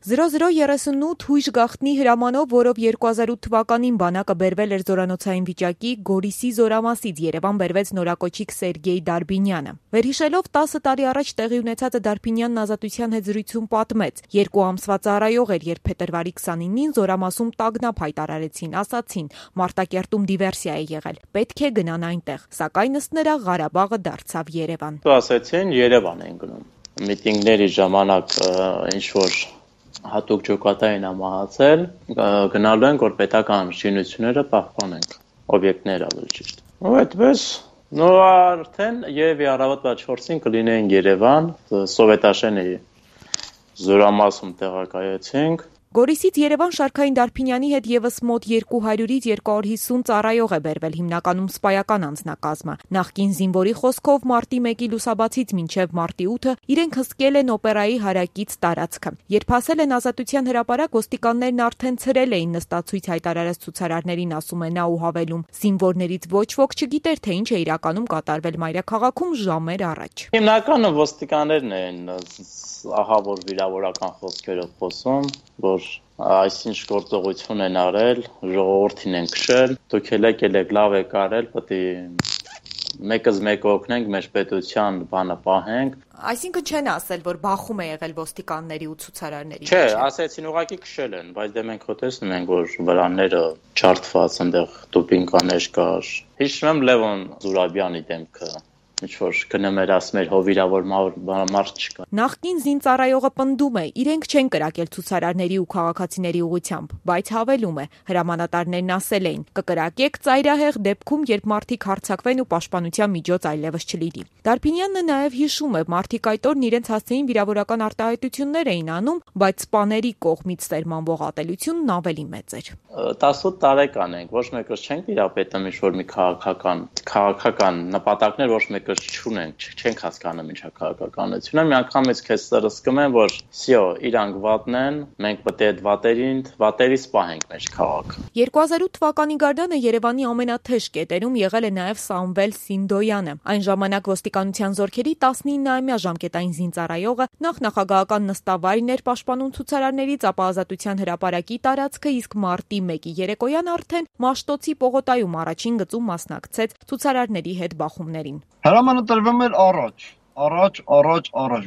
0038 հույժ գաղտնի հրամանով, որով 2008 թվականին բանակը բերվել էր զորանոցային վիճակի, Գորիսի զորամասից Երևան բերվեց նորակոչիկ Սերգեյ Դարբինյանը։ Վերհիշելով 10 տարի առաջ տեղի ունեցածը Դարբինյանն Ազատության հետ զրույցում պատմեց. 2 ամսվա ծառայող էր, երբ փետրվարի 29-ին զորամասում տագնապ հայտարարեցին, ասացին՝ Մարտակերտում դիվերսիա է եղել, պետք է գնան այնտեղ, սակայն ըստ նրա Ղարաբաղը դարձավ Երևան։ Ասացին Երևան են գնում։ Միտինգների ժամանակ ինչ-որ հատուկ ջոկատային ամահացել, գնալու ենք, որ պետական շինությունները պահպանենք, օբյեկտները ավելի ճիշտ։ Ու այդպես, արդեն երևի առավոտվա 4-ին կլինեին Երևան, Սովետաշենի զորամասում տեղակայեցինք։ Գորիսից Երևան Շարքային Դարբինյանի հետ եւս մոտ 200-ից 250 ծառայող է բերվել, հիմնականում սպայական անձնակազմը։ Նախկին զինվորի խոսքով մարտի 1-ի լուսաբացից մինչև մարտի 8-ը իրենք հսկել են օպերայի հարակից տարածքը։ Երբ հասել են Ազատության հրապարակ, ոստիկաններն արդեն ցրել էին նստացույց հայտարարած ցուցարարներին, ասում է նա ու հավելում. զինվորներից ոչ ոք չգիտեր, թե ինչ է իրականում կատարվել մայրաքաղաքում ժամեր առաջ։ Հիմնականը ոստիկաններն են ահավոր վիրավորական խոսքերով խոսում, որ այսինչ գործողություն են արել, ժողովրդին են քշել, դուք ելեք լավ եք արել, պետք է մեկս մեկը օգնենք, մեր պետության բանը պահենք։ Այսինքն չեն ասել, որ բախում է եղել ոստիկանների ու ցուցարարների։ Չէ, ասեցին ուղղակի քշել են, բայց դե մենք տեսնում ենք, որ վրաները չարթված, այնտեղ դոպինգկաներ կար։ Հիշում եմ Լևոն Զուրաբյանի դեմքը։ Ինչ-որ գնում էր ասում էր հովիրավոր մարդ չկա։ Նախկին զինծառայողը պնդում է, իրենք չեն կրակել ցուցարարների ու քաղաքացիների ուղղությամբ, բայց հավելում է, հրամանատարներն ասել էին՝ կկրակեք ծայրահեղ դեպքում, երբ մարդիկ հարձակվեն ու պաշտպանության միջոց այլևս չլինի։ Դարբինյանը նաև հիշում է, մարդիկ այդ օրն իրենց հասցեին վիրավորական արտահայտություններ էին անում, բայց սպաների կողմից սերմանվող ատելությունն ավելի մեծ էր։ 18 տարեկան ենք, ոչ մեկս չենք տիրապետում ինչ-որ մի քաղաքական նպատակներ, ոչ մեկս չունենք, չենք հասկանում ինչա քաղաքականությունը։ Մի անգամից քեզ սրսկում են, որ սյո, իրանք վատն են, մենք պետք է այդ վատերից պահենք մեր քաղաքը։ 2008 թվականի գարնանը Երևանի ամենաթեժ կետերում եղել է նաև Սամվել Սինդոյանը։ Այն ժամանակ ոստիկանության զորքերի 19-ամյա ժամկետային զինծառայողը նախագահական նստավայրն էր պաշտպանում ցուցարարներից, ապա Ազատության հրապարակի տարածքը, իսկ մարտի 1-ի երեկոյան արդեն Մաշտոցի պողոտայում առաջին գծում մասնակցեց ցուցարարների հետ բախումներին։ Հրամանը տրվում էր առաջ,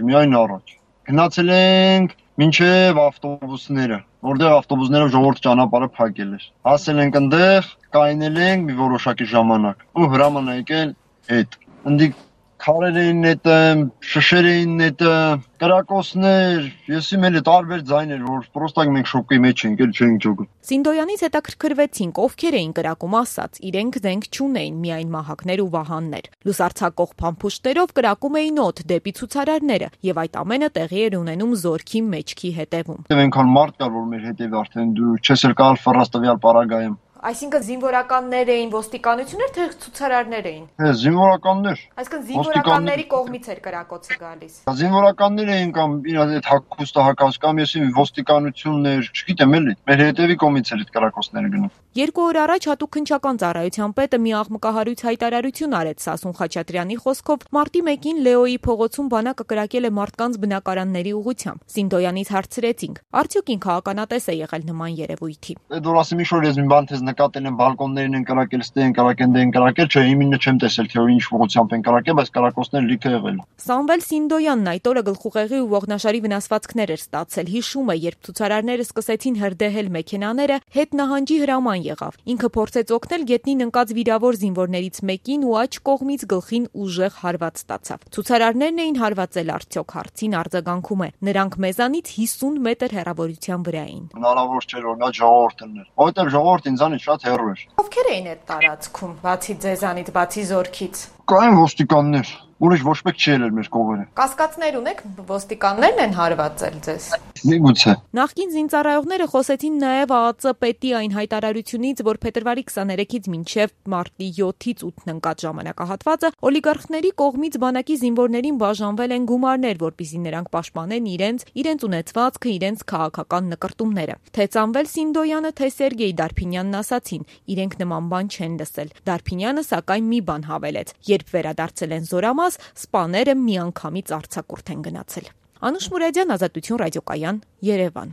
միայն առաջ։ Գնացել ենք մինչև ավտոբուսները, որտեղ ավտոբուսներով ժողովուրդ ճանապարհը փակել էր։ Հասել ենք այնտեղ, կայնել ենք մի որոշակի ժամանակ։ Ու հրամանը եկել հետ։ Ընդ քարեր էին նետում, շշեր էին նետում, կրակոցներ, եսի մելը տարբեր ձայներ, որ պրոստակ մենք շոկի մեջ ենք, էլ չենք ճոգում։ Սինդոյանից հետաքրքրվեցինք, ովքեր էին կրակում, ասաց, իրենք զենք չունեին, միայն մահակներ ու վահաններ։ Լուսարձակող փամփուշտերով կրակում էին օդ դեպի ցուցարարները, եւ այդ ամենը տեղի էր ունենում զորքի մեջքի հետևում։ Այնքան մարդ կար, որ մեր հետևը արդեն դու չես էլ կարող ֆռած տվյալ պարագայում։ Այսինքն զինվորականներ էին, ոստիկանություններ, թե ցուցարարներ էին։ Զինվորականներ։ Այսինքն զինվորականների կողմից էր կրակոցը գալիս։ Զինվորականներ էին կամ իրաց այդ հակոստը հակած կամ եսի ոստիկանություններ, չգիտեմ էլի։ Մեր հետևի կողմից էր այդ կրակոցները գնում։ 2 օր առաջ հատուկ քննչական ծառայության պետը մի աղմկահարույց հայտարարություն արեց Սասուն Խաչատրյանի խոսքով մարտի 1-ին Լեոյի փողոցում բանակը կրակել է մարդկանց բնակարանների ուղղությամբ։ Սինդոյանից հարցրեցինք. արդյոք ինքը ականատես է եղել նման երևույթի։ Այդ որ ասեմ ինչ-որ ես մի բան թեզ նկատել են բալկոններին են կրակել, ստե են կրակել, դե են կրակել, չէ, իմինը չեմ տեսել, թե ինչ ուղղությամբ են կրակել, բայց կրակոցները լիքը եղել։ Սամվել Սինդոյանն այդ օրը գլխուղեղի ու ողնաշարի վնասվածքներ էր ստացել։ Հիշում է, երբ ցուցարարները սկսեցին հրդեհել մեքենաները, հետ նահանջի հրաման եղավ։ Ինքը փորձեց օգնել գետնին ընկած վիրավոր զինվորներից մեկին ու աջ կողմից գլխին ուժեղ հարված ստացավ։ Ցուցարարներն էին հարվածել արդյոք, հարցին արձագանքում է. նրանք մեզանից 50 մետր հեռավորության վրա էին։ Հնարավոր չէր օրինակ ժողովուրդն էր, որովհետև ժողովուրդը ինձանից շատ հեռու էր։ Ովքեր էին այդ տարածքում, բացի ձեզանից, բացի զորքից։ Կային ոստիկաններ, ուրիշ ոչ մեկ չի ելել մեր կողմերը։ Կասկածներ ունեք, ոստիկաններն են հարվածել ձեզ։ Միգուցե։ Նախկին զինծառայողները խոսեցին նաև ԱԱԾ պետի այն հայտարարությունից, որ փետրվարի 23-ից մինչև մարտի 7-ից 8-ն ընկած ժամանակահատվածը օլիգարխների կողմից բանակի զինվորներին բաժանվել են գումարներ, որպեսզի նրանք պաշտպանեն իրենց ունեցվածքը, իրենց քաղաքական նկրտումները։ Թե Սամվել Սինդոյանը, թե Սերգեյ Դարբինյանն ասացին, իրենք նման բան չեն լսել։ Դարբինյանը սակայն մի բան հավելեց. երբ վերադարձել են զորամաս, սպաները միանգամից արձակուրդ են գնացել։ Անուշ Մուրադյան, Ազատություն ռադիոկայան, Երևան։